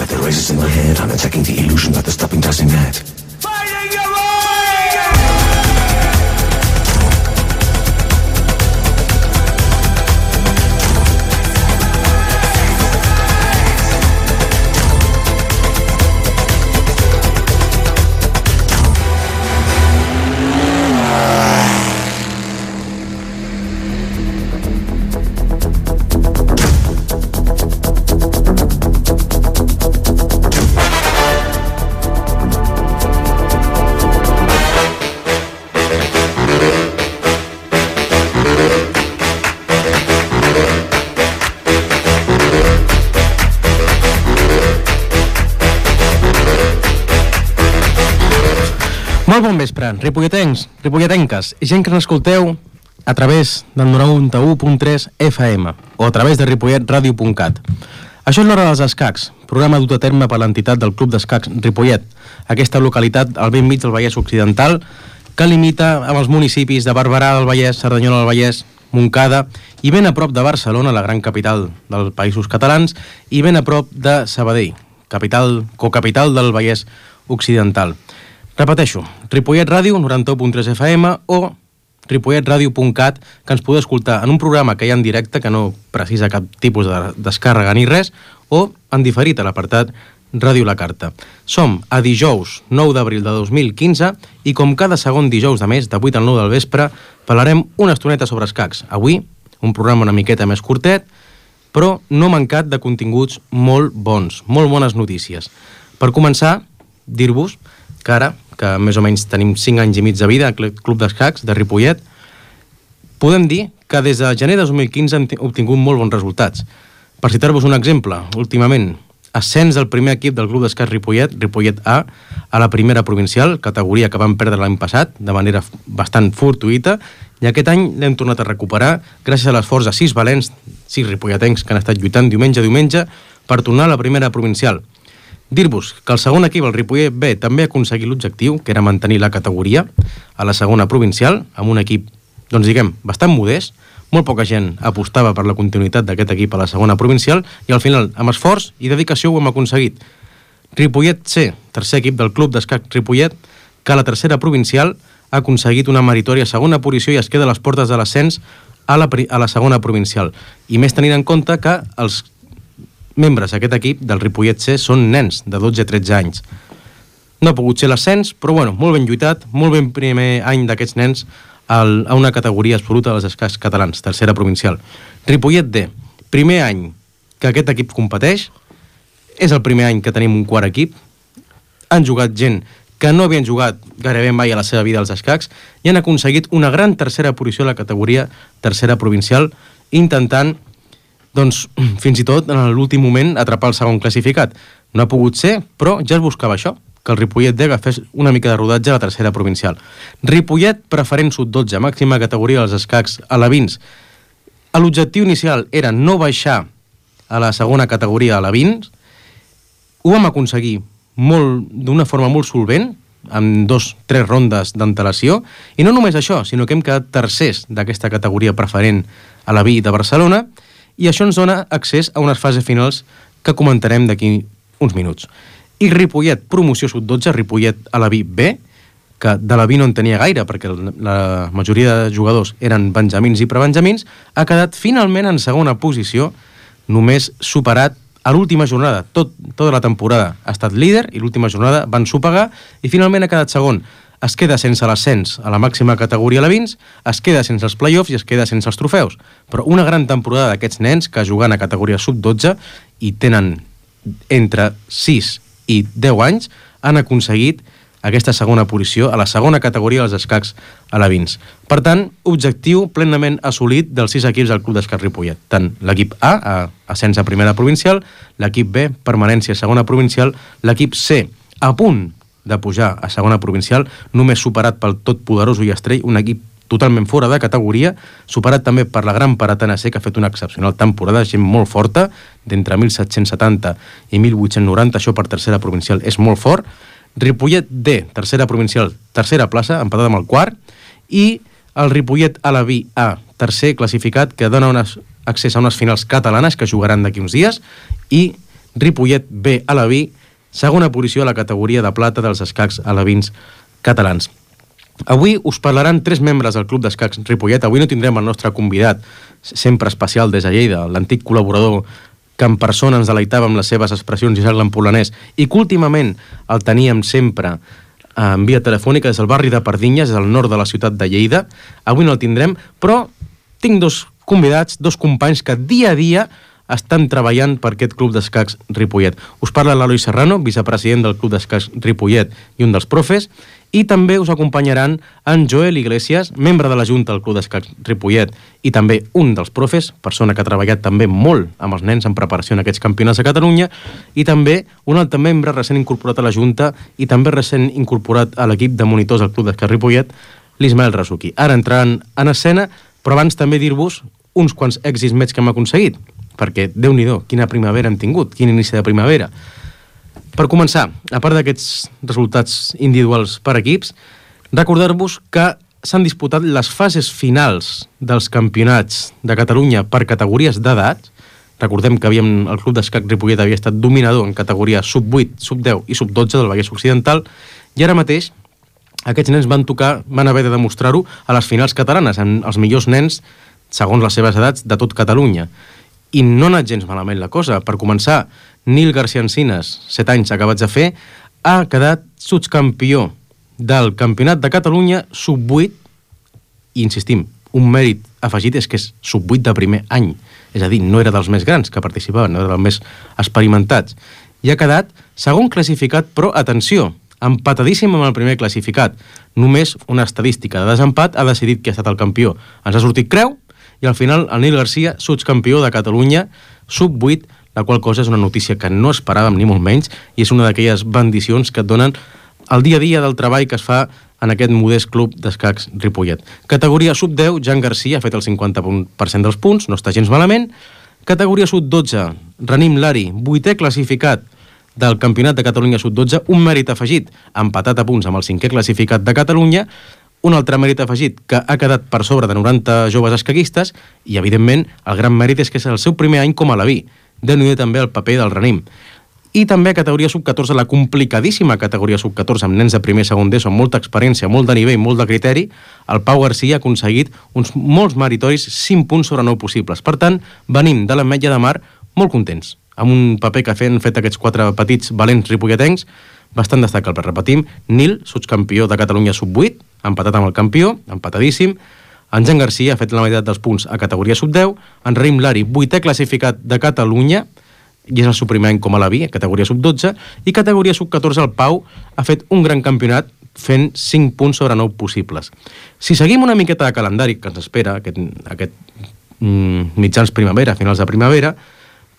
Got the razors in my head, I'm attacking the illusion that the stopping doesn't net. Molt bon vespre, ripolletens, ripolletenques i gent que ens escolteu a través del 91.3 FM o a través de ripolletradio.cat. Això és l'Hora dels Escacs, programa dut a terme per l'entitat del Club d'Escacs Ripollet, aquesta localitat al bell mig del Vallès Occidental que limita amb els municipis de Barberà del Vallès, Cerdanyola del Vallès, Montcada i ben a prop de Barcelona, la gran capital dels Països Catalans, i ben a prop de Sabadell, cocapital del Vallès Occidental. Repeteixo, Ripollet Ràdio, 91.3 FM o ripolletradio.cat, que ens podeu escoltar en un programa que hi ha en directe, que no precisa cap tipus de descàrrega ni res, o en diferit a l'apartat Ràdio La Carta. Som a dijous 9 d'abril de 2015 i com cada segon dijous de mes, de 8 al 9 del vespre, parlarem una estoneta sobre escacs. Avui, un programa una miqueta més curtet, però no mancat de continguts molt bons, molt bones notícies. Per començar, dir-vos que ara, que més o menys tenim 5 anys i mig de vida al Club d'Escacs de Ripollet, podem dir que des de gener de 2015 hem obtingut molt bons resultats. Per citar-vos un exemple, últimament, ascens del primer equip del Club d'Escacs Ripollet, Ripollet A la primera provincial, categoria que vam perdre l'any passat, de manera bastant fortuïta, i aquest any l'hem tornat a recuperar gràcies a l'esforç de 6 valents, 6 ripolletens que han estat lluitant diumenge a diumenge per tornar a la primera provincial. Dir-vos que el segon equip, el Ripollet B, també ha aconseguit l'objectiu, que era mantenir la categoria a la segona provincial, amb un equip, doncs diguem, bastant modest. Molt poca gent apostava per la continuïtat d'aquest equip a la segona provincial i al final, amb esforç i dedicació, ho hem aconseguit. Ripollet C, tercer equip del Club d'Escacs Ripollet, que a la tercera provincial ha aconseguit una meritòria segona posició i es queda a les portes de l'ascens a la segona provincial. I més tenint en compte que els membres d'aquest equip del Ripollet C són nens de 12 a 13 anys. No ha pogut ser l'ascens, però bueno, molt ben lluitat, molt ben primer any d'aquests nens a una categoria absoluta dels escacs catalans, tercera provincial. Ripollet D, primer any que aquest equip competeix, és el primer any que tenim un quart equip, han jugat gent que no havien jugat gairebé mai a la seva vida als escacs i han aconseguit una gran tercera posició a la categoria tercera provincial, intentant doncs, fins i tot, en l'últim moment, atrapar el segon classificat. No ha pogut ser, però ja es buscava això, que el Ripollet D agafés una mica de rodatge a la tercera provincial. Ripollet preferent sub-12, màxima categoria dels escacs alevins. L'objectiu inicial era no baixar a la segona categoria alevins. Ho vam aconseguir d'una forma molt solvent, amb 2-3 rondes d'antelació, i no només això, sinó que hem quedat tercers d'aquesta categoria preferent aleví de Barcelona, i això ens dona accés a unes fases finals que comentarem d'aquí uns minuts. I Ripollet, promoció sub-12, Ripollet aleví B, que de l'aleví no en tenia gaire, perquè la majoria de jugadors eren benjamins i prebenjamins, ha quedat finalment en segona posició, només superat a l'última jornada. Tota la temporada ha estat líder i l'última jornada van sopegar i finalment ha quedat segon. Es queda sense l'ascens a la màxima categoria alevins, es queda sense els play-offs i es queda sense els trofeus. Però una gran temporada d'aquests nens que juguen a categoria sub-12 i tenen entre 6 i 10 anys han aconseguit aquesta segona posició a la segona categoria dels escacs alevins. Per tant, objectiu plenament assolit dels 6 equips del Club d'Escacs Ripollet. Tant l'equip A, ascens a primera provincial, l'equip B, permanència a segona provincial, l'equip C, a punt de pujar a segona provincial, només superat pel totpoderós Ullastrell, un equip totalment fora de categoria, superat també per la gran Paratana C, que ha fet una excepcional temporada, gent molt forta, d'entre 1770 i 1890, això per tercera provincial és molt fort. Ripollet D, tercera provincial, tercera plaça, empatat amb el quart, i el Ripollet aleví A, tercer classificat, que dona accés a unes finals catalanes que jugaran d'aquí uns dies, i Ripollet B Alaví, segona posició a la categoria de plata dels escacs alevins catalans. Avui us parlaran 3 membres del Club d'Escacs Ripollet. Avui no tindrem el nostre convidat, sempre especial des de Lleida, l'antic col·laborador que en persona ens deleitava amb les seves expressions Isaac l'Empolanès, i que últimament el teníem sempre en via telefònica des del barri de Pardinyes, des del nord de la ciutat de Lleida. Avui no el tindrem, però tinc 2 convidats, 2 companys que dia a dia estan treballant per aquest Club d'Escacs Ripollet. Us parla l'Eloi Serrano, vicepresident del Club d'Escacs Ripollet i un dels profes, i també us acompanyaran en Joel Iglesias, membre de la Junta del Club d'Escacs Ripollet i també un dels profes, persona que ha treballat també molt amb els nens en preparació en aquests campionats de Catalunya, i també un altre membre recent incorporat a la Junta i també recent incorporat a l'equip de monitors del Club d'Escacs Ripollet, l'Ismael Rasuki. Ara entraran en escena, però abans també dir-vos uns quants èxits més que hem aconseguit, perquè, Déu-n'hi-do, quina primavera hem tingut, quin inici de primavera. Per començar, a part d'aquests resultats individuals per equips, recordar-vos que s'han disputat les fases finals dels campionats de Catalunya per categories d'edat. Recordem que el Club d'Escacs Ripollet havia estat dominador en categoria sub-8, sub-10 i sub-12 del Vallès Occidental, i ara mateix aquests nens van haver de demostrar-ho a les finals catalanes, amb els millors nens, segons les seves edats, de tot Catalunya. I no ha anat gens malament la cosa. Per començar, Nil García Encinas, 7 anys acabats de fer, ha quedat subcampió del Campionat de Catalunya sub-8, i insistim, un mèrit afegit és que és sub-8 de primer any, és a dir, no era dels més grans que participaven, no era dels més experimentats, i ha quedat segon classificat, però atenció, empatadíssim amb el primer classificat. Només una estadística de desempat ha decidit qui ha estat el campió. Ens ha sortit creu, i al final el Nil Garcia, subcampió de Catalunya, sub-8, la qual cosa és una notícia que no esperàvem ni molt menys, i és una d'aquelles bendicions que et donen el dia a dia del treball que es fa en aquest modest Club d'Escacs Ripollet. Categoria sub-10, Jan Garcia ha fet el 50% dels punts, no està gens malament. Categoria sub-12, Ranim Lari, 8è classificat del Campionat de Catalunya sub-12, un mèrit afegit, empatat a punts amb el 5è classificat de Catalunya, un altre mèrit afegit que ha quedat per sobre de 90 joves escaquistes, i evidentment el gran mèrit és que és el seu primer any com a Alaví. Déu-n'hi-do també el paper del Ranim. I també a categoria sub-14, la complicadíssima categoria sub-14, amb nens de primer i segon d'ESO, amb molta experiència, molt de nivell, molt de criteri, el Pau Garcia ha aconseguit uns molts meritoris 5 punts sobre 9 possibles. Per tant, venim de l'Ametlla de Mar molt contents, amb un paper que han fet aquests 4 petits valents ripolletencs, bastant destacable. Repetim, Nil, subcampió de Catalunya sub-8, empatat amb el campió, empatadíssim. En Jan Garcia ha fet la meitat dels punts a categoria sub-10. En Raim Lari, 8è classificat de Catalunya, i és el seu primer any com a Alaví, a categoria sub-12. I categoria sub-14, el Pau ha fet un gran campionat fent 5 punts sobre 9 possibles. Si seguim una miqueta de calendari que ens espera, aquest mitjans primavera, finals de primavera,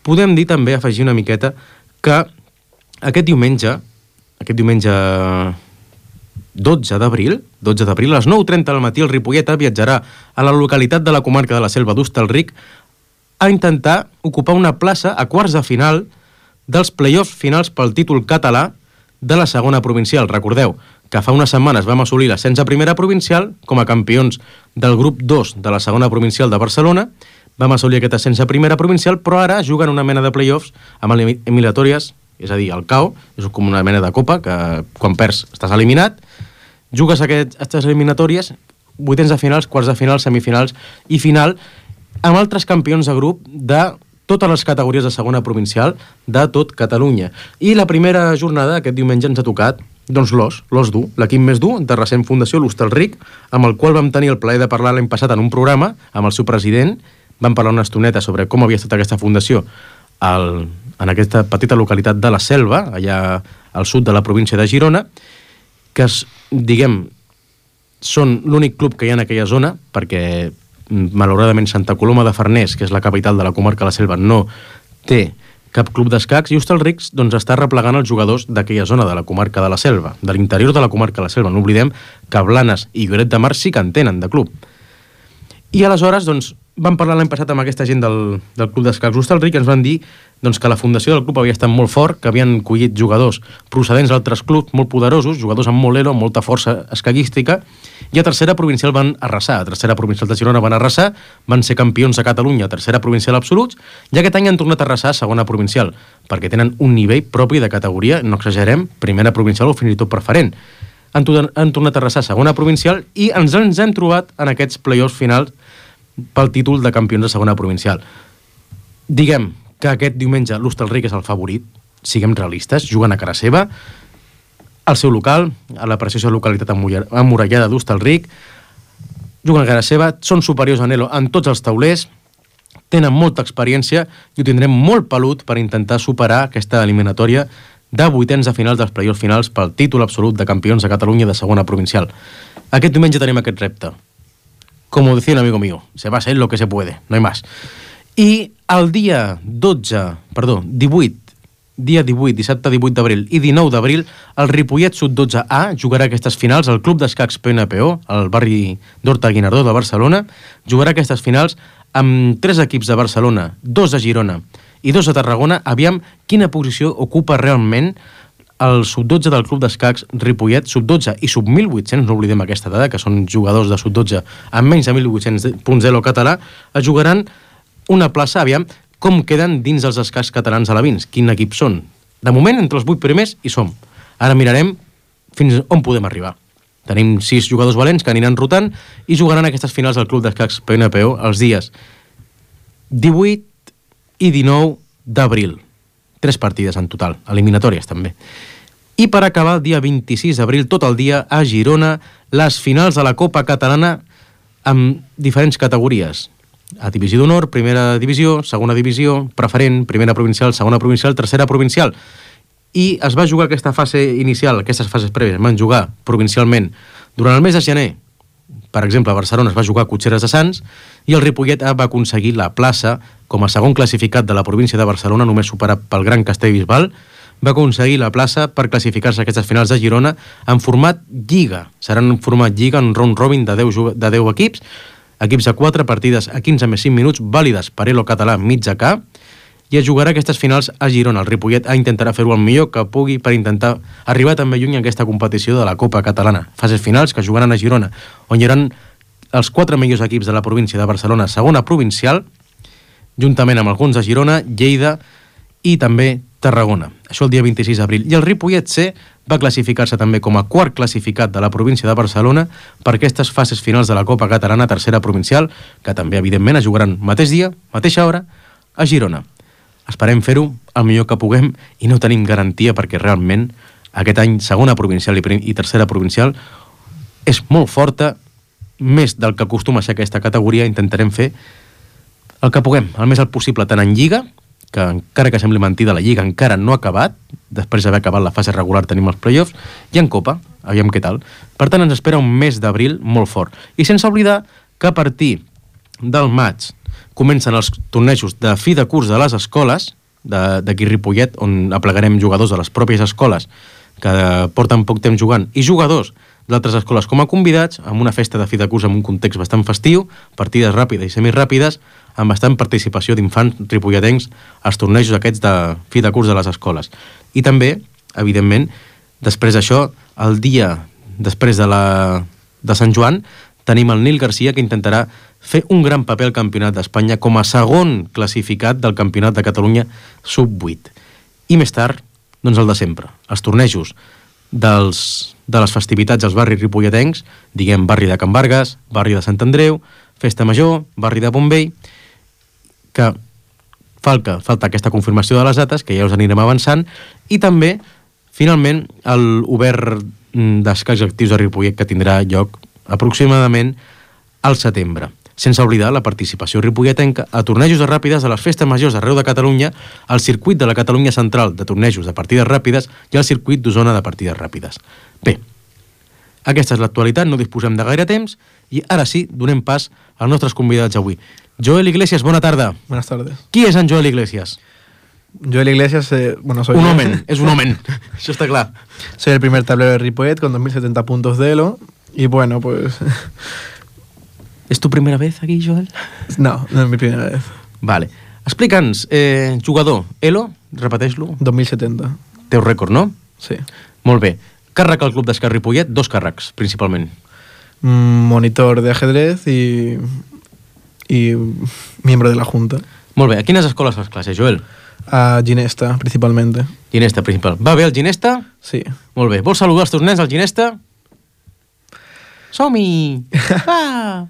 podem dir també, afegir una miqueta, que aquest diumenge 12 d'abril, a les 9:30 del matí, el Ripollet viatjarà a la localitat de la comarca de la Selva d'Hostalric a intentar ocupar una plaça a quarts de final dels play-offs finals pel títol català de la segona provincial. Recordeu que fa unes setmanes vam assolir l'ascens a primera provincial com a campions del grup 2 de la segona provincial de Barcelona. Vam assolir aquest ascens a primera provincial, però ara juguen una mena de play-offs amb eliminatòries, és a dir, el CAO, és com una mena de copa, que quan perds estàs eliminat, jugues aquestes eliminatòries, 8ens de finals, quarts de finals, semifinals i final, amb altres campions de grup de totes les categories de segona provincial de tot Catalunya. I la primera jornada, aquest diumenge, ens ha tocat doncs l'Os dur, l'equip més dur de recent fundació, l'Hostalric, amb el qual vam tenir el plaer de parlar l'any passat en un programa amb el seu president. Vam parlar una estoneta sobre com havia estat aquesta fundació en aquesta petita localitat de la Selva, allà al sud de la província de Girona, que són l'únic club que hi ha en aquella zona, perquè malauradament Santa Coloma de Farners, que és la capital de la comarca de la Selva, no té cap club d'escacs, i Hostalric doncs, està replegant els jugadors d'aquella zona de la comarca de la Selva, de l'interior de la comarca de la Selva. No oblidem que Blanes i Lloret de Mar sí que en tenen de club. I aleshores, doncs, vam parlar l'any passat amb aquesta gent del Club d'Escacs Hostalric i ens van dir doncs, que la fundació del club havia estat molt fort, que havien collit jugadors procedents d'altres clubs molt poderosos, jugadors amb molt elo, amb molta força escaguística, i a tercera provincial van arrasar. A tercera provincial de Girona van arrasar, van ser campions de Catalunya a tercera provincial absoluts, i aquest any han tornat a arrasar a segona provincial, perquè tenen un nivell propi de categoria, no exagerem, primera provincial o fins i tot preferent. Han tornat a arrasar a segona provincial i ens hem trobat en aquests play-offs finals pel títol de campions de segona provincial. Diguem que aquest diumenge l'Hostalric és el favorit, siguem realistes, juguen a cara seva, al seu local, a la preciosa localitat emmurallada d'Hostalric, juguen a cara seva, són superiors a Nelo en tots els taulers, tenen molta experiència i ho tindrem molt pelut per intentar superar aquesta eliminatòria de vuitens de finals dels play-offs finals pel títol absolut de campions de Catalunya de segona provincial. Aquest diumenge tenim aquest repte. Como decía un amigo mío, se va a hacer lo que se puede, no hay más. I el dia 18, dissabte 18 d'abril i 19 d'abril, el Ripollet Sub-12A jugarà aquestes finals al Club d'Escacs PNPO, al barri d'Horta-Guinardó de Barcelona, jugarà aquestes finals amb 3 equips de Barcelona, 2 de Girona i 2 de Tarragona. Aviam quina posició ocupa realment el Sub-12 del Club d'Escacs Ripollet, Sub-12 i Sub-1800, no oblidem aquesta dada, que són jugadors de Sub-12 amb menys de 1.800 punts d'elo català, es jugaran una plaça. Aviam com queden dins els escacs catalans alevins, quin equip són. De moment, entre els 8 primers hi som. Ara mirarem fins on podem arribar. Tenim 6 jugadors valents que aniran rotant i jugaran aquestes finals al Club d'Escacs PNPO els dies 18 i 19 d'abril. 3 partides en total, eliminatòries també. I per acabar el dia 26 d'abril, tot el dia, a Girona, les finals de la Copa Catalana amb diferents categories. A divisió d'honor, primera divisió, segona divisió, preferent, primera provincial, segona provincial, tercera provincial. I es va jugar aquesta fase inicial, aquestes fases prèvies, van jugar provincialment durant el mes de gener. Per exemple, a Barcelona es va jugar a Cotxeres de Sants i el Ripollet va aconseguir la plaça com a segon classificat de la província de Barcelona, només superat pel Gran Castellbisbal, va aconseguir la plaça per classificar-se a aquestes finals de Girona en format Lliga. Seran en format Lliga, en round robin de 10 equips, equips de 4 partides a 15 més 5 minuts, vàlides per elo català mitja K, i es jugarà aquestes finals a Girona. El Ripollet intentarà fer-ho el millor que pugui per intentar arribar també lluny en aquesta competició de la Copa Catalana. Fases finals que jugaran a Girona, on hi haurà els 4 millors equips de la província de Barcelona, segona provincial, juntament amb alguns de Girona, Lleida i també Tarragona. Això el dia 26 d'abril. I el Ripollet C va classificar-se també com a quart classificat de la província de Barcelona per aquestes fases finals de la Copa Catalana, tercera provincial, que també, evidentment, es jugaran mateix dia, mateixa hora, a Girona. Esperem fer-ho el millor que puguem i no tenim garantia perquè realment aquest any segona provincial i tercera provincial és molt forta, més del que acostuma a ser aquesta categoria. Intentarem fer el que puguem, el més el possible, tant en Lliga, que encara que sembli mentida, la Lliga encara no ha acabat, després d'haver acabat la fase regular tenim els play-offs, i en Copa, aviam què tal. Per tant, ens espera un mes d'abril molt fort. I sense oblidar que a partir del maig comencen els tornejos de fi de curs de les escoles, d'aquí Ripollet, on aplegarem jugadors de les pròpies escoles que porten poc temps jugant, i jugadors d'altres escoles com a convidats, amb una festa de fi de curs en un context bastant festiu, partides ràpides i semiràpides, amb bastant participació d'infants ripolletencs als tornejos aquests de fi de curs de les escoles. I també, evidentment, després d'això, el dia després de Sant Joan, tenim el Nil Garcia, que intentarà fer un gran paper al Campionat d'Espanya com a segon classificat del Campionat de Catalunya Sub-8. I més tard, doncs el de sempre, els tornejos de les festivitats als barris ripolletencs, diguem barri de Can Vargas, barri de Sant Andreu, Festa Major, barri de Bonvell, que falta aquesta confirmació de les dates, que ja us anirem avançant, i també, finalment, l'obert d'escacs actius de Ripollet, que tindrà lloc aproximadament al setembre. Sense oblidar la participació ripolletenca a tornejos de ràpides de les festes majors d'arreu de Catalunya, al circuit de la Catalunya Central de tornejos de partides ràpides i al circuit d'Osona de partides ràpides. Bé, aquesta és l'actualitat, no disposem de gaire temps i ara sí, donem pas als nostres convidats avui. Joel Iglesias, bona tarda. Buenas tardes. Qui és en Joel Iglesias? Joel Iglesias, soy... Un hombre, es un hombre, eso está claro. Soy el primer tablero de Ripollet con 2070 puntos de elo y bueno, pues... És tu primera vez aquí, Joel? No, no és mi primera vez. Vale. Explica'ns, jugador, Elo, repeteix-lo. 2070. Teu rècord, no? Sí. Molt bé. Càrrec al Club d'Esquerra Ripollet, 2 càrrecs, principalment. Monitor de ajedrez y miembro de la Junta. Molt bé. A quines escoles fas classe, Joel? A Ginesta, principalmente. Ginesta, principal. Va bé el Ginesta? Sí. Molt bé. Vols saludar els teus nens al Ginesta? Som-hi! Va!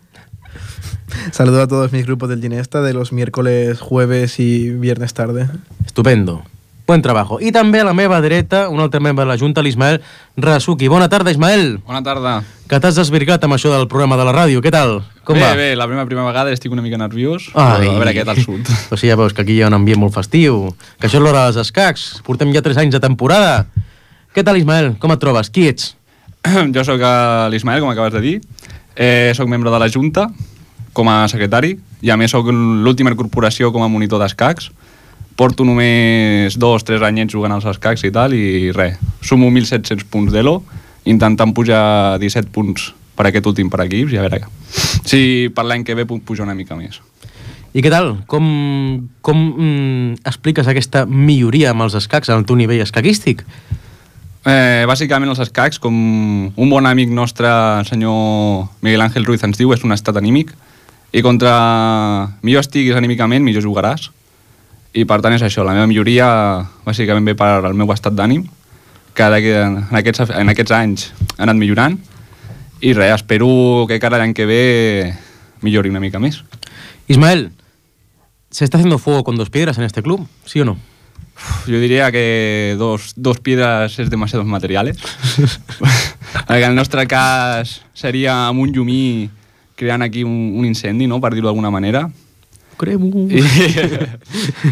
Saludo a todos mis grupos del Ginesta de los miércoles, jueves y viernes tarde. Estupendo. Buen trabajo. I també a la meva dreta, un altre membre de la Junta, l'Ismael Rasuki. Bona tarda, Ismael. Bona tarda. Que t'has desvirgat amb això del programa de la ràdio. Què tal? Com va? Bé, la primera vegada estic una mica nerviós. Ai. Però a veure què tal surt. O sigui, ja veus que aquí hi ha un ambient molt festiu, que això és l'hora dels escacs. Portem ja 3 anys de temporada. Què tal, Ismael? Com et trobes? Qui ets? Jo sóc l'Ismael, com acabes de dir. Soc membre de la Junta, com a secretari, i a més soc l'última incorporació com a monitor d'escacs. Porto només 2-3 anyets jugant als escacs i tal, i res, sumo 1.700 punts d'Elo, intentant pujar 17 punts per aquest últim per equips, i a veure si per l'any que ve puc pujar una mica més. I què tal? Com expliques aquesta milloria amb els escacs en el teu nivell escaquístic? Bàsicament els escacs, com un bon amic nostre, el senyor Miguel Ángel Ruiz, ens diu, és un estat anímic, i contra millor estiguis anímicament, millor jugaràs. I per tant és això, la meva milloria bàsicament ve per al meu estat d'ànim, que en aquests anys ha anat millorant, i res, espero que cada any que ve millori una mica més. Ismael, ¿se está haciendo fuego con 2 piedras en este club? ¿Sí o no? Yo diría que dos piedras es demasiados materiales. En el nostre cas seria amb un llumí creant aquí un incendi, no?, per dir-ho d'alguna manera. Cremo.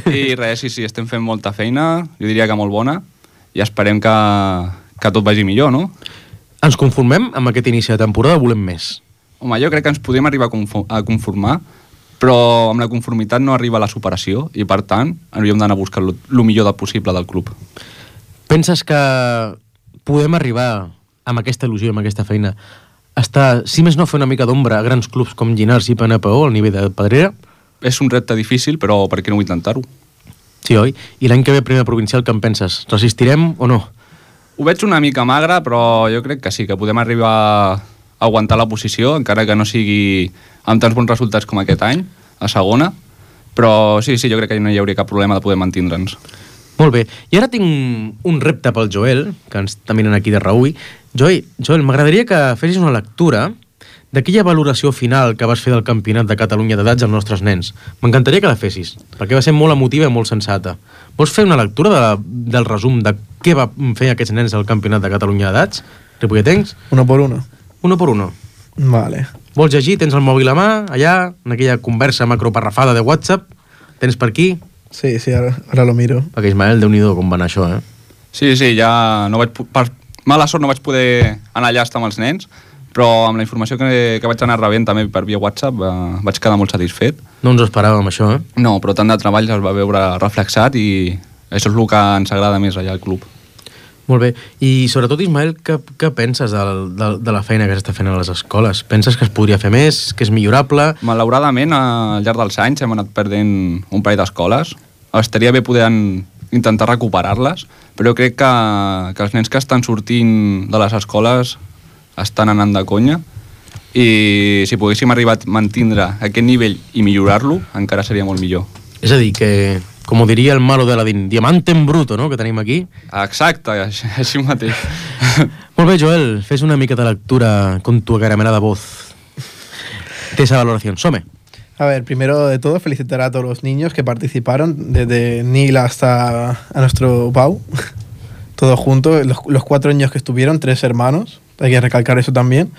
I res, sí, estem fent molta feina, jo diria que molt bona, i esperem que tot vagi millor, no? Ens conformem amb aquest inici de temporada o volem més? Home, jo crec que ens podem arribar a conformar, però amb la conformitat no arriba a la superació, i per tant hauríem d'anar a buscar el millor possible del club. Penses que podem arribar amb aquesta il·lusió, amb aquesta feina, si més no fer una mica d'ombra a grans clubs com Llinars i PNPO al nivell de Pedrera? És un repte difícil, però per què no vull intentar-ho? Sí, oi? I l'any que ve primer provincial, què en penses? Resistirem o no? Ho veig una mica magre, però jo crec que sí, que podem arribar a aguantar la posició, encara que no sigui amb tants bons resultats com aquest any, a segona, però sí, jo crec que no hi hauria cap problema de poder mantindre'ns. Molt bé. I ara tinc un repte pel Joel, que ens està mirant aquí de reüll. Joel, m'agradaria que fessis una lectura d'aquella valoració final que vas fer del Campionat de Catalunya d'edats als nostres nens. M'encantaria que la fessis, perquè va ser molt emotiva i molt sensata. Vols fer una lectura del resum de què va fer aquests nens al Campionat de Catalunya d'edats? Ripolletens? 1 por 1. 1 por 1. Vale. Vols llegir? Tens el mòbil a mà, allà, en aquella conversa macroparrafada de WhatsApp? Tens per aquí? Sí, ahora lo miro. Perquè Ismael, Déu-n'hi-do com va anar això, eh? Sí, ja no vaig... Per mala sort no vaig poder anar allà a estar amb els nens, però amb la informació que vaig anar rebent també per via WhatsApp vaig quedar molt satisfet. No ens ho esperàvem, això, eh? No, però tant de treball es va veure reflexat i això és el que ens agrada més allà al club. Molt bé. I sobretot, Ismael, què penses de la feina que s'està fent a les escoles? Penses que es podria fer més, que és millorable? Malauradament, al llarg dels anys hem anat perdent un parell d'escoles. Estaria bé poder intentar recuperar-les, però jo crec que els nens que estan sortint de les escoles estan anant de conya, i si poguéssim arribar a mantindre aquest nivell i millorar-lo, encara seria molt millor. És a dir, que, com ho diria el malo de Aladín, diamante en bruto, no?, que tenim aquí. Exacte, així mateix. Molt bé, Joel, fes una mica de lectura con tu acaramelada voz de esa valoración. Some. A ver, primero de todo, felicitar a todos los niños que participaron, desde Nil hasta a nuestro Pau, todos juntos, los 4 niños que estuvieron, 3 hermanos, hay que recalcar eso también,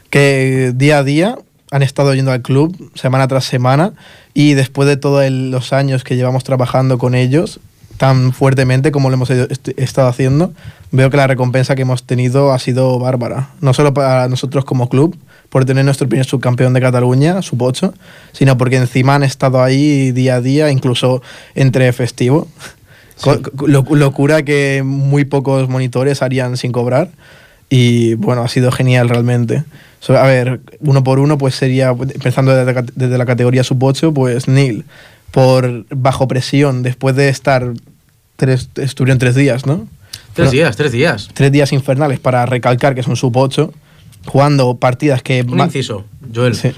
que día a día han estado yendo al club, semana tras semana, y después de todos los años que llevamos trabajando con ellos, tan fuertemente como lo hemos estado haciendo, veo que la recompensa que hemos tenido ha sido bárbara. No solo para nosotros como club, por tener nuestro primer subcampeón de Cataluña, sub-8, sino porque encima han estado ahí día a día, incluso entre festivo. Sí. Locura que muy pocos monitores harían sin cobrar. Y bueno, ha sido genial realmente. A ver, uno por uno, pues sería, empezando desde la categoría sub-8, pues Neil, por bajo presión, después de estar estuvieron 3 días, ¿no? 3 días. 3 días infernales, para recalcar que son sub-8, jugando partides que... Un inciso, Joel. Sí.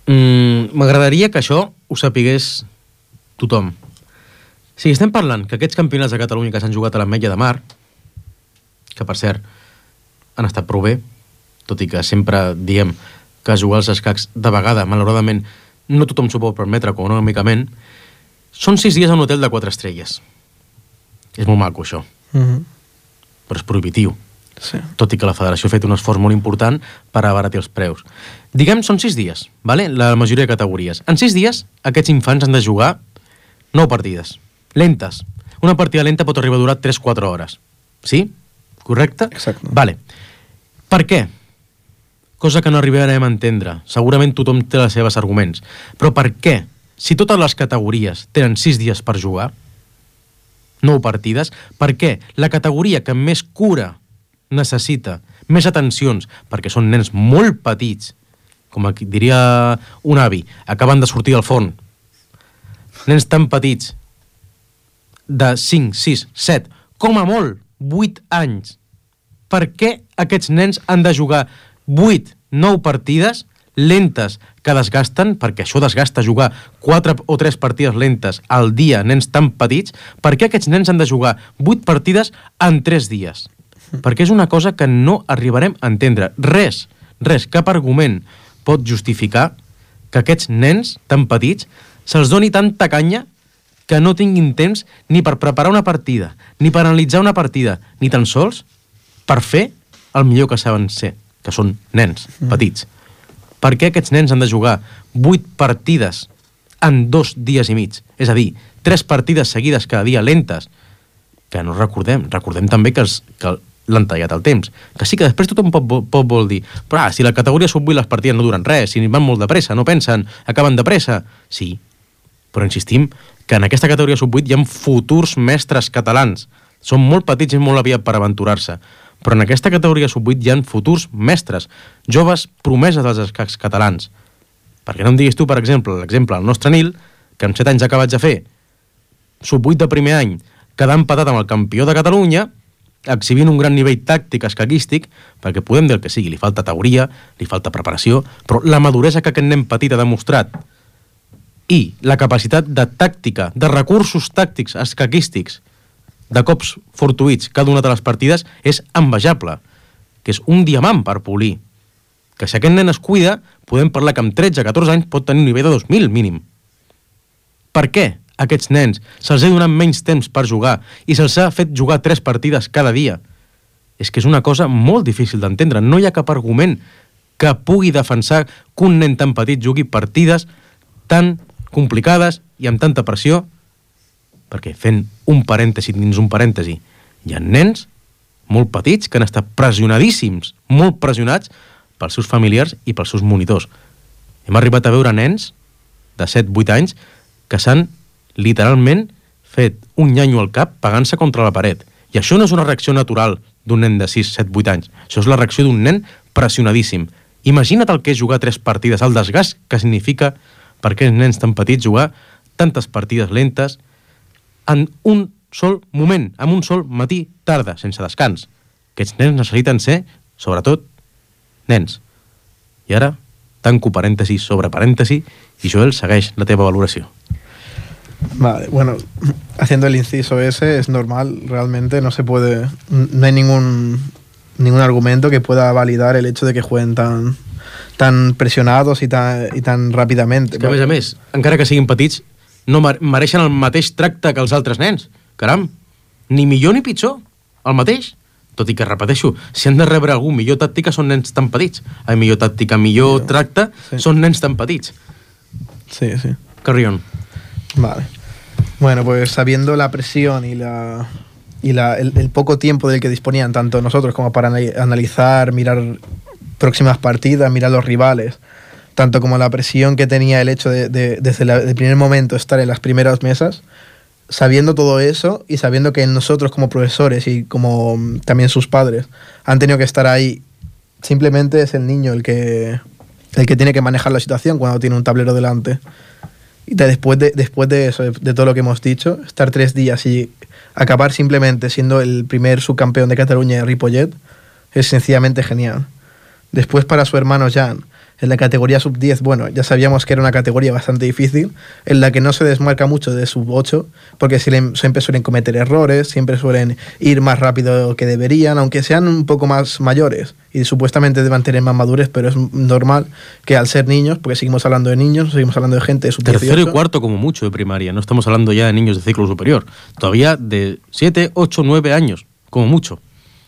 M'agradaria que això ho sapigués tothom. Si estem parlant que aquests campionats de Catalunya que s'han jugat a l'Ametlla de Mar, que per cert han estat prou bé, tot i que sempre diem que jugar als escacs de vegada, malauradament, no tothom s'ho pot permetre econòmicament, són 6 dies a un hotel de 4 estrelles. És molt maco, això. Però és prohibitiu. Sí. Tot i que la federació ha fet un esforç molt important per abaratir els preus. Diguem, són 6 dies, vale? La majoria de categories. En 6 dies, aquests infants han de jugar 9 partides. Lentes. Una partida lenta pot arribar a durar 3-4 hores. Sí? Correcte? Exacte. Vale. Per què? Cosa que no arribarem a entendre. Segurament tothom té els seus arguments. Però per què? Si totes les categories tenen 6 dies per jugar, 9 partides, per què la categoria que més cura necessita, més atencions, perquè són nens molt petits, com diria un avi, acaben de sortir del forn, nens tan petits, de 5, 6, 7, com a molt, 8 anys, per què aquests nens han de jugar 8, 9 partides lentes que desgasten, perquè això desgasta jugar 4 o 3 partides lentes al dia, nens tan petits, per què aquests nens han de jugar 8 partides en 3 dies? Perquè és una cosa que no arribarem a entendre. Res, cap argument pot justificar que aquests nens tan petits se'ls doni tanta canya que no tinguin temps ni per preparar una partida, ni per analitzar una partida, ni tan sols per fer el millor que saben ser, que són nens petits. Per què aquests nens han de jugar 8 partides en 2 dies i mig? És a dir, 3 partides seguides cada dia lentes, que no recordem també que l'han tallat el temps. Que sí que després tothom pot vol dir però si la categoria sub-8 les partides no duren res, si van molt de pressa, no pensen, acaben de pressa. Sí, però insistim que en aquesta categoria sub-8 hi ha futurs mestres catalans. Són molt petits i molt aviat per aventurar-se. Però en aquesta categoria sub-8 hi ha futurs mestres, joves promeses dels escacs catalans. Perquè no em diguis tu, per exemple, l'exemple del nostre Nil, que amb 7 anys acabats de fer sub-8 de primer any, quedar empatat amb el campió de Catalunya, exhibint un gran nivell tàctic escaquístic, perquè podem dir el que sigui, li falta teoria, li falta preparació, però la maduresa que aquest nen petit ha demostrat i la capacitat de tàctica, de recursos tàctics escaquístics, de cops fortuïts cada una de les partides, és envejable, que és un diamant per polir. Que si aquest nen es cuida, podem parlar que amb 13-14 anys pot tenir un nivell de 2000 mínim. Per què aquests nens se'ls ha donat menys temps per jugar i se'ls ha fet jugar 3 partides cada dia? És que és una cosa molt difícil d'entendre. No hi ha cap argument que pugui defensar que un nen tan petit jugui partides tan complicades i amb tanta pressió, perquè fent un parèntesi dins un parèntesi, hi ha nens molt petits que han estat pressionadíssims, molt pressionats pels seus familiars i pels seus monitors. Hem arribat a veure nens de 7-8 anys que s'han literalment fet un nyanyo al cap pegant-se contra la paret. I això no és una reacció natural d'un nen de 6-7-8 anys. Això és la reacció d'un nen pressionadíssim. Imagina't el que és jugar 3 partides, el desgast que significa per aquests nens tan petits jugar tantes partides lentes en un sol moment, en un sol matí, tarda, sense descans. Aquests nens necessiten ser, sobretot, nens. I ara, tanco parèntesi sobre parèntesi y Joel, segueix la teva valoració. Vale, bueno, haciendo el inciso ese es normal, realmente no se puede, no hay ningún argumento que pueda validar el hecho de que jueguen tan presionados y tan rápidamente. És que, a més, encara que siguin petits, no mereixen el mateix tracte que els altres nens. Caram, ni millor ni pitjor, el mateix. Tot i que, repeteixo, si han de rebre algú millor tàctica són nens tan petits. Millor tàctica, millor tracte, sí. Són nens tan petits. Sí. Carry on. Vale. Bueno, pues sabiendo la presión y el poco tiempo del que disponían tanto nosotros como para analizar, mirar próximas partidas, mirar los rivales, tanto como la presión que tenía el hecho de desde el primer momento estar en las primeras mesas, sabiendo todo eso y sabiendo que nosotros como profesores y como también sus padres han tenido que estar ahí, simplemente es el niño el que tiene que manejar la situación cuando tiene un tablero delante. Y después de eso, de todo lo que hemos dicho, estar 3 días y acabar simplemente siendo el primer subcampeón de Cataluña de Ripollet es sencillamente genial. Después, para su hermano Jan, en la categoría sub-10, bueno, ya sabíamos que era una categoría bastante difícil, en la que no se desmarca mucho de sub-8, porque siempre suelen cometer errores, siempre suelen ir más rápido que deberían, aunque sean un poco más mayores y supuestamente deban tener más madurez, pero es normal que al ser niños, porque seguimos hablando de niños, seguimos hablando de gente de sub-18. Tercero y cuarto como mucho de primaria, no estamos hablando ya de niños de ciclo superior, todavía de 7, 8, 9 años, como mucho.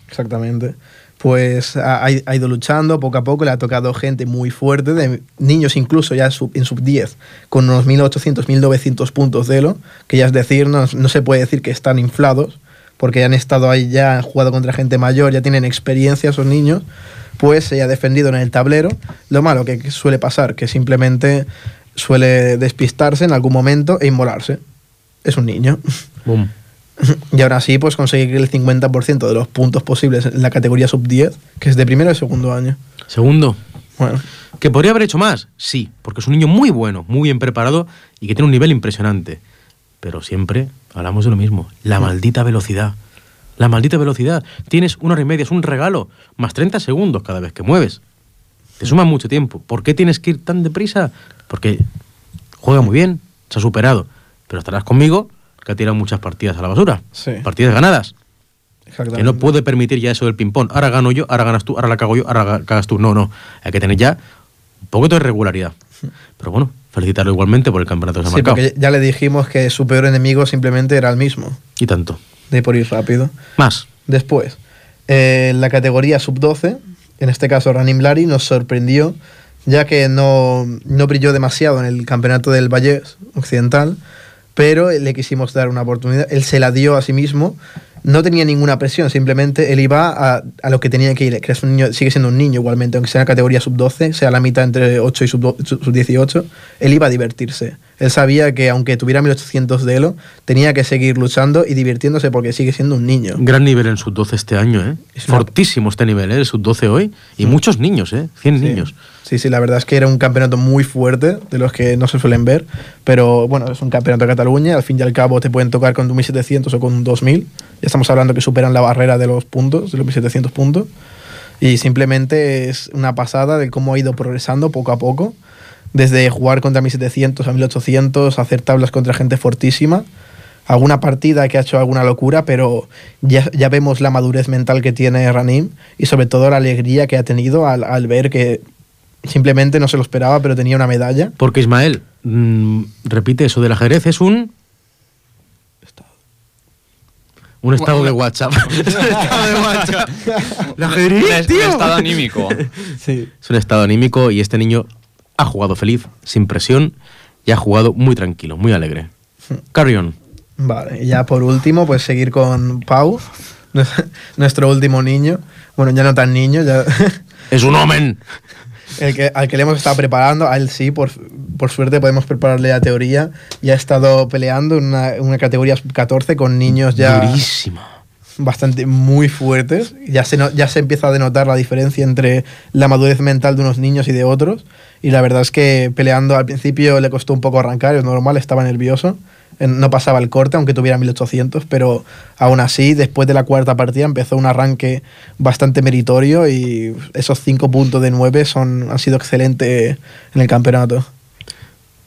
Exactamente. Pues ha ido luchando poco a poco, le ha tocado gente muy fuerte, de niños incluso ya en sub-10, con unos 1.800, 1.900 puntos de Elo, que ya es decir, no se puede decir que están inflados, porque han estado ahí ya, han jugado contra gente mayor, ya tienen experiencia esos niños, pues se ha defendido en el tablero. Lo malo que suele pasar, que simplemente suele despistarse en algún momento e inmolarse. Es un niño. Boom. Y ahora sí, pues conseguir el 50% de los puntos posibles en la categoría sub-10, que es de primero y segundo año. Segundo. Bueno. ¿Que podría haber hecho más? Sí, porque es un niño muy bueno, muy bien preparado y que tiene un nivel impresionante. Pero siempre hablamos de lo mismo. La maldita velocidad. La maldita velocidad. Tienes 1 hora y media, es un regalo. Más 30 segundos cada vez que mueves. Te suma mucho tiempo. ¿Por qué tienes que ir tan deprisa? Porque juega muy bien, se ha superado. Pero estarás conmigo que ha tirado muchas partidas a la basura. Sí. Partidas ganadas. Exactamente. Que no puede permitir ya eso del ping-pong. Ahora gano yo, ahora ganas tú, ahora la cago yo, ahora cagas tú. No. Hay que tener ya un poquito de regularidad. Pero bueno, felicitarlo igualmente por el campeonato que se ha marcado. Porque ya le dijimos que su peor enemigo simplemente era el mismo. Y tanto. De por ir rápido. Más. Después, la categoría sub-12, en este caso Ranim Lari, nos sorprendió, ya que no brilló demasiado en el campeonato del Vallès Occidental, pero le quisimos dar una oportunidad. Él se la dio a sí mismo, no tenía ninguna presión, simplemente él iba a lo que tenía que ir, que es un niño, sigue siendo un niño igualmente, aunque sea en la categoría sub-12, sea la mitad entre 8 y sub-18, él iba a divertirse. Él sabía que aunque tuviera 1800 de Elo, tenía que seguir luchando y divirtiéndose porque sigue siendo un niño. Gran nivel en sub-12 este año, ¿eh? Es fortísimo este nivel, ¿eh? El sub-12 hoy. Y muchos niños, ¿eh? 100 niños. Sí, la verdad es que era un campeonato muy fuerte, de los que no se suelen ver, pero bueno, es un campeonato de Cataluña, al fin y al cabo te pueden tocar con un 1700 o con un 2000, ya estamos hablando que superan la barrera de los puntos, de los 1700 puntos, y simplemente es una pasada de cómo ha ido progresando poco a poco, desde jugar contra 1700 a 1800, hacer tablas contra gente fortísima, alguna partida que ha hecho alguna locura, pero ya vemos la madurez mental que tiene Ranim y sobre todo la alegría que ha tenido al ver que simplemente no se lo esperaba, pero tenía una medalla. Porque Ismael, repite eso del ajedrez, es un estado de WhatsApp. Un estado de WhatsApp. ¿El ajedrez, tío? Un estado anímico. Sí. Es un estado anímico y este niño ha jugado feliz, sin presión, y ha jugado muy tranquilo, muy alegre. Carry on. Vale, y ya por último, pues seguir con Pau, nuestro último niño. Bueno, ya no tan niño, ya... ¡Es un omen! Al que le hemos estado preparando, a él sí, por suerte podemos prepararle la teoría. Ya ha estado peleando en una categoría sub-14 con niños ya... Durísima. Bastante muy fuertes. Ya se empieza a denotar la diferencia entre la madurez mental de unos niños y de otros. Y la verdad es que peleando al principio le costó un poco arrancar, es normal, estaba nervioso. No pasaba el corte, aunque tuviera 1800, pero aún así, después de la cuarta partida, empezó un arranque bastante meritorio y esos 5 puntos de 9 han sido excelentes en el campeonato.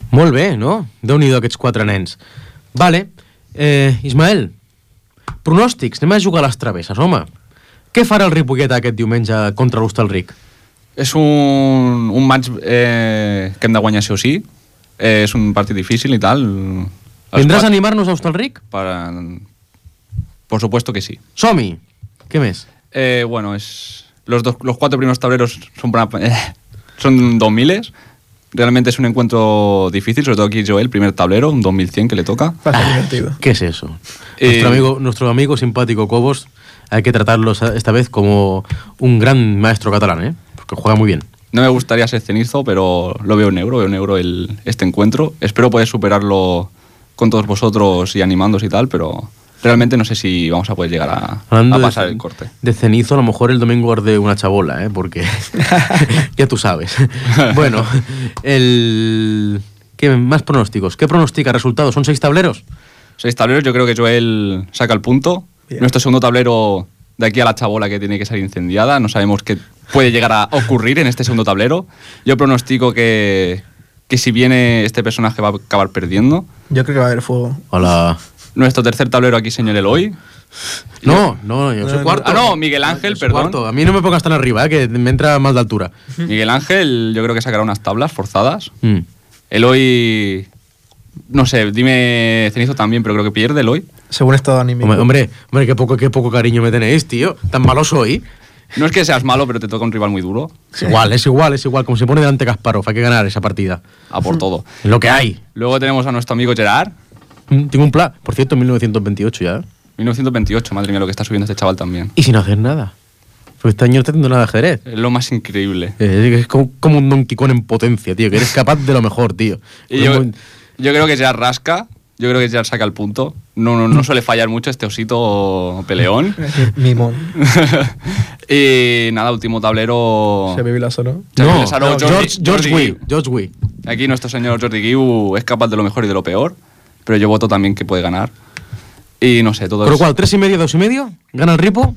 Molt bé, no? Déu-n'hi-do aquests 4 nens. Vale, Ismael, pronòstics, anem a jugar a les travesses, home. Què farà el Ripollet aquest diumenge contra l'Hostalric? És un match que hem de guanyar sí o sí. És un partit difícil i tal. ¿Vendrás a animarnos a Hostalric? Por supuesto que sí. Som-hi. ¿Qué més? Bueno, los 4 primeros tableros son 2000. Realmente es un encuentro difícil, sobre todo aquí Joel, primer tablero, un 2100 que le toca. Divertido. ¿Qué es eso? Nuestro amigo simpático Cobos, hay que tratarlo esta vez como un gran maestro catalán, ¿eh? Porque juega muy bien. No me gustaría ser cenizo, pero lo veo negro este encuentro. Espero poder superarlo con todos vosotros y animándos y tal, pero realmente no sé si vamos a poder llegar a pasar el corte. De cenizo, a lo mejor el domingo arde una chabola, porque ya tú sabes. Bueno, ¿qué más pronósticos? ¿Qué pronostica? ¿Resultados? ¿Son 6 tableros? 6 tableros, yo creo que Joel saca el punto. Bien. Nuestro segundo tablero, de aquí a la chabola que tiene que ser incendiada, no sabemos qué puede llegar a ocurrir en este segundo tablero. Yo pronostico que si viene este personaje va a acabar perdiendo. Yo creo que va a haber fuego. Hola. Nuestro tercer tablero aquí, señor Eloy. No, yo soy cuarto. Ah, no, Miguel Ángel, perdón. Cuarto. A mí no me pongas tan arriba, que me entra más de altura. Miguel Ángel, yo creo que sacará unas tablas forzadas. Eloy, no sé, dime Cenizo también, pero creo que pierde Eloy. Según estado anímico. Hombre, qué poco cariño me tenéis, tío. Tan malo soy. No es que seas malo, pero te toca un rival muy duro. Es igual. Como se pone delante Kasparov, hay que ganar esa partida. A por todo. Es lo que hay. Luego tenemos a nuestro amigo Gerard. Tengo un plan. Por cierto, 1928 ya. 1928, madre mía, lo que está subiendo este chaval también. Y sin hacer nada. Porque este año no está haciendo nada de ajedrez. Es lo más increíble. Es como un Donkey Kong en potencia, tío. Que eres capaz de lo mejor, tío. Y yo creo que Gerard rasca. Yo creo que Gerard saca el punto. No suele fallar mucho este osito peleón. Mimón. Y nada, último tablero. ¿Se ve Vilaso, no? No, George Wee. Aquí nuestro señor Jordi Guiu es capaz de lo mejor y de lo peor, pero yo voto también que puede ganar. Y no sé, todo ¿Por lo cual, 3,5, 2,5? ¿Gana el Ripo?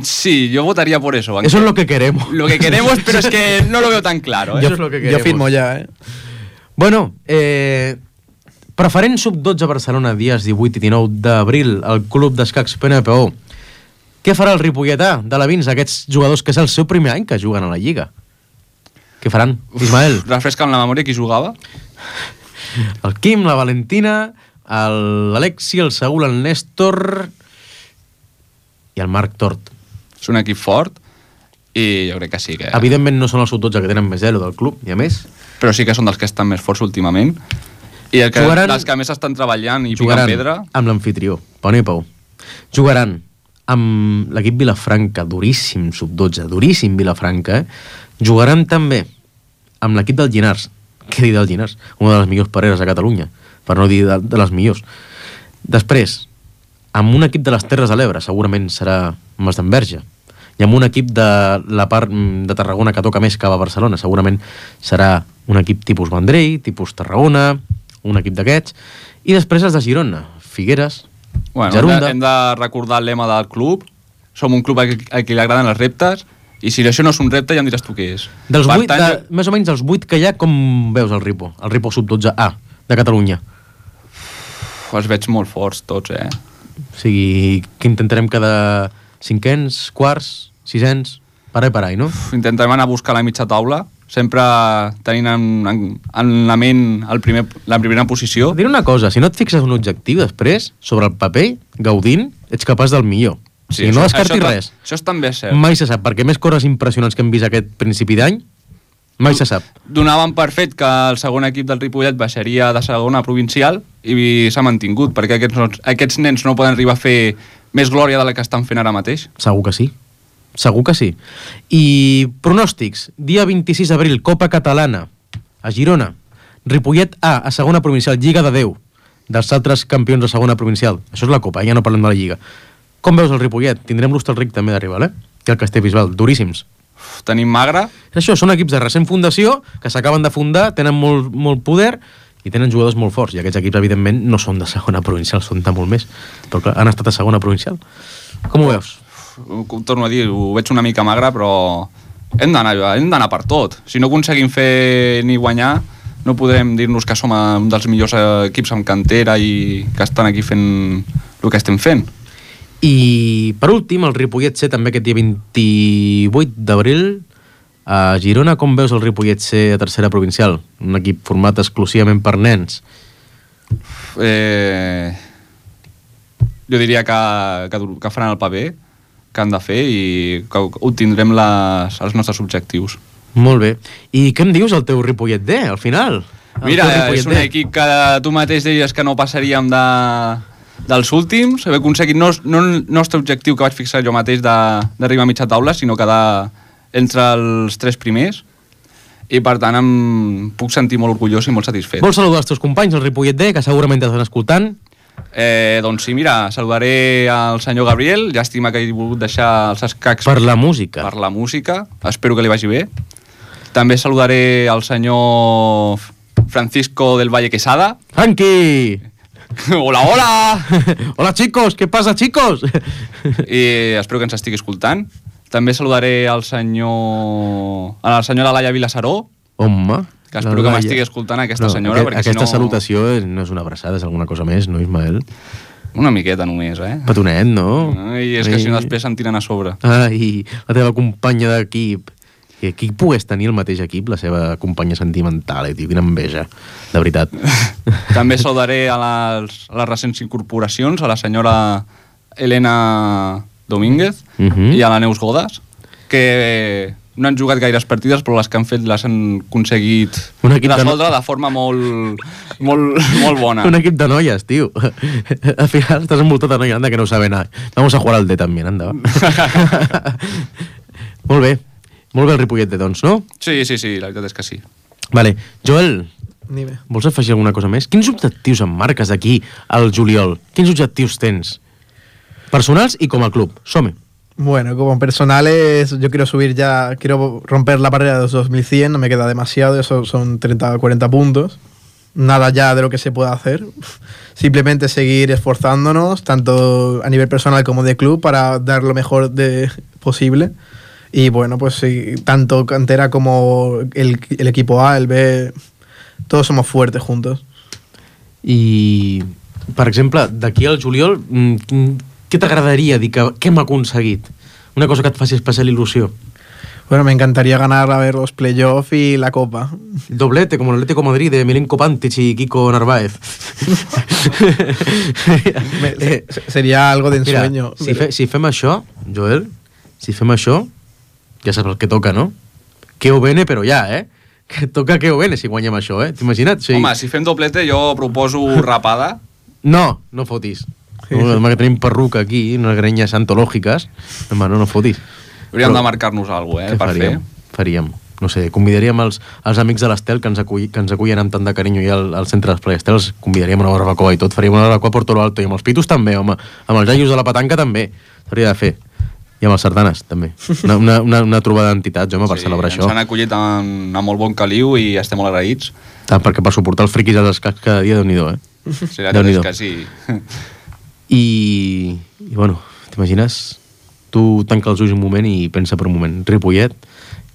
Sí, yo votaría por eso. Eso es lo que queremos. Lo que queremos, pero es que no lo veo tan claro. Eso es lo que queremos. Yo firmo ya, Bueno, preferent sub-12 a Barcelona dies 18 i 19 d'abril al Club d'Escacs PNPO. Què farà el Ripolletà de la Vins, aquests jugadors que és el seu primer any que juguen a la Lliga? Què faran, Ismael? Refresca'm la memòria, qui jugava? El Quim, la Valentina, l'Alexi, el Saúl, el Néstor i el Marc Tort. És un equip fort i jo crec que sí que... Evidentment no són els sub-12 que tenen més zero del club, ni a més. Però sí que són dels que estan més forts últimament. I els que més estan treballant i picant pedra... amb l'amfitrió, Pau i Pau. Jugaran amb l'equip Vilafranca, duríssim sub-12, duríssim Vilafranca, Jugaran també amb l'equip del Llinars, què dir del Llinars? Una de les millors pareres a Catalunya, per no dir de les millors. Després, amb un equip de les Terres de l'Ebre, segurament serà Masdenverge, i amb un equip de la part de Tarragona que toca més cap a Barcelona, segurament serà un equip tipus Vendrell, tipus Tarragona, un equip d'aquests, i després els de Girona, Figueres, Gerunda... Hem de recordar el lema del club, som un club a qui li agraden els reptes, i si això no és un repte ja em diràs tu què és. Dels 8, més o menys dels 8 que hi ha, com veus el Ripo sub-12A de Catalunya? Els veig molt forts tots, O sigui, que intentarem quedar 5ens, quarts, 6ens, parai, no? Intentarem anar a buscar la mitja taula, sempre tenint en la ment la primera posició. Diré una cosa, si no et fixes un objectiu després, sobre el paper, gaudint, ets capaç del millor. Sí, no descartis res. Això també és cert. Mai se sap, perquè més coses impressionants que hem vist aquest principi d'any, mai se sap. Donàvem per fet que el segon equip del Ripollet baixaria de segona provincial i s'ha mantingut, perquè aquests nens no poden arribar a fer més glòria de la que estan fent ara mateix. Segur que sí. I pronòstics, dia 26 d'abril, Copa Catalana, a Girona, Ripollet A segona provincial, Lliga de 10, dels altres campions de segona provincial. Això és la Copa, ja no parlem de la Lliga. Com veus el Ripollet? Tindrem l'Hostalric també d'arribar, i el Castellbisbal, duríssims. Tenim Magre. Això, són equips de recent fundació, que s'acaben de fundar, tenen molt poder i tenen jugadors molt forts, i aquests equips, evidentment, no són de segona provincial, són de molt més, però clar, han estat a segona provincial. Com ho veus? Torno a dir, ho veig una mica magre, però hem d'anar per tot. Si no aconseguim fer ni guanyar, no podrem dir-nos que som un dels millors equips amb cantera i que estan aquí fent el que estem fent. I per últim, el Ripollet C també aquest dia 28 d'abril a Girona. Com veus el Ripollet C a tercera provincial? Un equip format exclusivament per nens. Jo diria que faran el paper que han de fer i que obtindrem els nostres objectius. Molt bé. I què em dius el teu Ripollet D, al final? Mira, és un equip que tu mateix deies que no passaríem dels últims, haver aconseguit no el nostre objectiu que vaig fixar jo mateix d'arribar a mitja taula, sinó quedar entre els 3 primers. i per tant em puc sentir molt orgullós i molt satisfet. Vols saludar els teus companys, el Ripollet D, que segurament t'estan escoltant? Doncs sí, mira, saludaré al senyor Gabriel, llàstima que hagi volgut deixar els escacs Per la música. per la música, espero que li vagi bé. També saludaré al senyor Francisco del Valle Quesada. Franqui! Hola, hola! Hola, chicos! ¿Qué pasa, chicos? I espero que ens estigui escoltant. També saludaré a la senyora Laia Vilassaró, Home... que espero que m'estigui escoltant aquesta senyora, perquè aquesta si no... salutació no és una abraçada, és alguna cosa més, no, Ismael? Una miqueta només, Petonet, no? I és que si no després se'n tiren a sobre. Ai, la teva companya d'equip. I qui pogués tenir el mateix equip, la seva companya sentimental, tio, quina enveja, de veritat. També saludaré a les recents incorporacions, a la senyora Elena Domínguez i a la Neus Godas, que no han jugat gaires partides, però les que han fet les han aconseguit resoldre de forma molt bona. Un equip de noies, tio. Al final estàs envoltat de noies, anda, que no saben nada. Vamos a jugar al D també, anda, va. Molt bé el Ripollet D, doncs, no? Sí, la veritat és que sí. Vale, Joel, Dime. vols afegir alguna cosa més? Quins objectius em marques d'aquí al juliol? Quins objectius tens? Personals y como al club. Some. Bueno, como personales, yo quiero subir ya, quiero romper la barrera de los 2100, no me queda demasiado, eso son 30 o 40 puntos. Nada ya de lo que se pueda hacer. Simplemente seguir esforzándonos, tanto a nivel personal como de club, para dar lo mejor posible. Y bueno, pues sí, tanto cantera como el equipo A, el B, todos somos fuertes juntos. I, per exemple, d'aquí al juliol, què t'agradaria dir que hem aconseguit? Una cosa que et faci especial il·lusió. Bueno, me encantaría ganar a ver los playoffs y la Copa. Doblete, como el Atlético de Madrid de Milenko Pantic y Kiko Narváez. Sería algo de ensueño. Mira, si fem això, Joel, si fem això, ja saps el que toca, no? Que ho bene, però ja, Que toca que ho bene si guanyem això, T'imagina't? Sí. Home, si fem doblete, jo proposo rapada. No fotis. Demà que tenim perruca aquí, unes grenyes antològiques. No fotis. Hauríem de marcar-nos alguna cosa, per fer. Faríem. No sé, convidaríem els amics de l'Estel que ens acullen amb tant de carinyo i al centre d'Esplai Estel, els convidaríem a una barbacoa i tot, faríem una barbacoa per tot l'alto, i amb els pitos també, home, amb els jaios de la petanca també, s'hauria de fer. I amb els sardanes, també. Una trobada d'entitats, home, per celebrar això. Ens han acollit amb molt bon caliu i estem molt agraïts. Tant, perquè per suportar els friquis dels escacs cada dia, Déu-n'hi-do, Sí, la veritat és que sí. I bueno, t'imagines? Tu tanca els ulls un moment i pensa per un moment. Ripollet,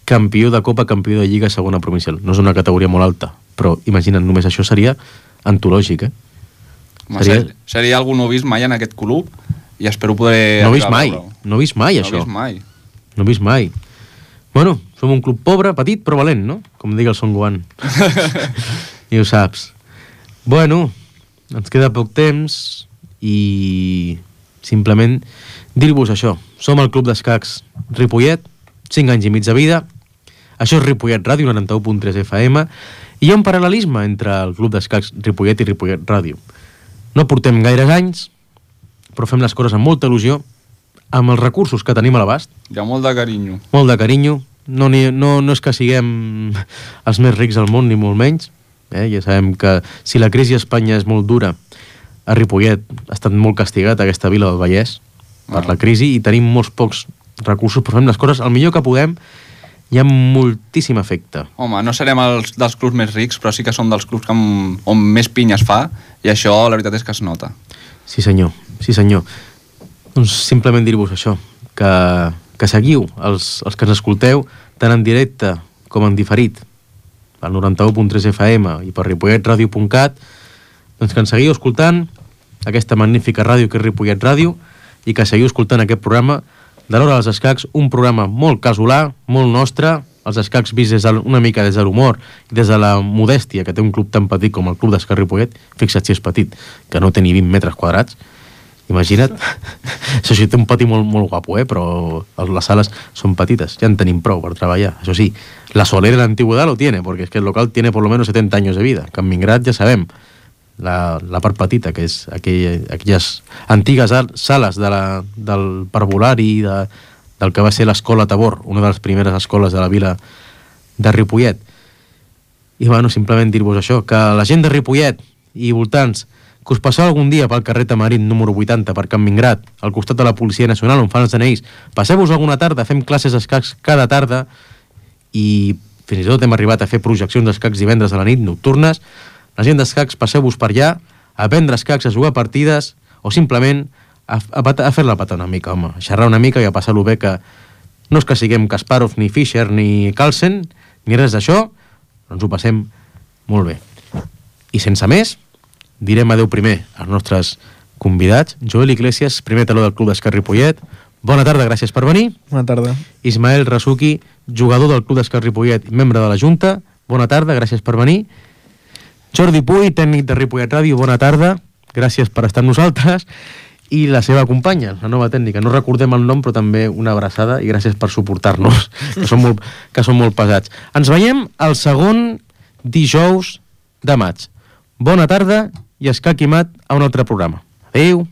campió de Copa, campió de Lliga, segona provincial. No és una categoria molt alta, però imagina't, només això seria antològic, Seria algú no vist mai en aquest club i espero poder... No vist mai, això. No vist mai. Bueno, som un club pobre, petit, però valent, no? Com digui el Son Gohan. I ho saps. Bueno, ens queda poc temps i simplement dir-vos això. Som el Club d'Escacs Ripollet, 5 anys i mig de vida. Això és Ripollet Ràdio, 91.3 FM, i hi ha un paral·lelisme entre el Club d'Escacs Ripollet i Ripollet Ràdio. No portem gaires anys, però fem les coses amb molta il·lusió, amb els recursos que tenim a l'abast. Hi ha molt de carinyo. Molt de carinyo. No és que siguem els més rics del món, ni molt menys. Ja sabem que si la crisi a Espanya és molt dura, a Ripollet ha estat molt castigat aquesta vila del Vallès per la crisi i tenim molts pocs recursos, però fem les coses el millor que podem i amb moltíssim efecte. Home, no serem dels clubs més rics, però sí que som dels clubs on més pinya es fa i això la veritat és que es nota. Sí senyor. Doncs simplement dir-vos això, que seguiu els que ens escolteu tant en directe com en diferit al 91.3 FM i per ripolletradio.cat, doncs que ens seguiu escoltant aquesta magnífica ràdio que és Ripollet Ràdio i que seguiu escoltant aquest programa de l'Hora dels Escacs, un programa molt casolà, molt nostre, els escacs vist una mica des de l'humor i des de la modèstia que té un club tan petit com el Club d'Escacs Ripollet. Fixa't si és petit, que no té ni 20 metres quadrats. Imagina't. Això sí, té un pati molt, molt guapo, però les sales són petites, ja en tenim prou per treballar. Això sí, la solera de l'antigüedad lo tiene, porque es que el local tiene por lo menos 70 años de vida. Que en Mingrat ja sabem, la part petita, que és aquelles antigues sales del parvulari, del que va ser l'escola Tabor, una de les primeres escoles de la vila de Ripollet. I bueno, simplement dir-vos això, que la gent de Ripollet i voltants, que us passeu algun dia pel carrer Tamarit número 80 per Can Mingrat, al costat de la Policia Nacional on fan els DNIs, passeu-vos alguna tarda, fem classes d'escacs cada tarda i fins i tot hem arribat a fer projeccions d'escacs divendres a la nit, nocturnes. La gent d'escacs, passeu-vos per allà, a aprendre escacs, a jugar partides o simplement a fer-la patar una mica, home, a xerrar una mica i a passar-lo bé, que no és que siguem Kasparov, ni Fischer, ni Carlsen, ni res d'això, però ens ho passem molt bé. I sense més, direm adeu primer als nostres convidats. Joel Iglesias, primer taló del Club d'Escacs Ripollet. Bona tarda, gràcies per venir. Bona tarda. Ismael Rasuki, jugador del Club d'Escacs Ripollet i membre de la Junta. Bona tarda, gràcies per venir. Jordi Puy, tècnic de Ripollet Ràdio, bona tarda. Gràcies per estar amb nosaltres. I la seva companya, la nova tècnica. No recordem el nom, però també una abraçada i gràcies per suportar-nos, que són molt pesats. Ens veiem el segon dijous de maig. Bona tarda i escac i mat a un altre programa. Adéu.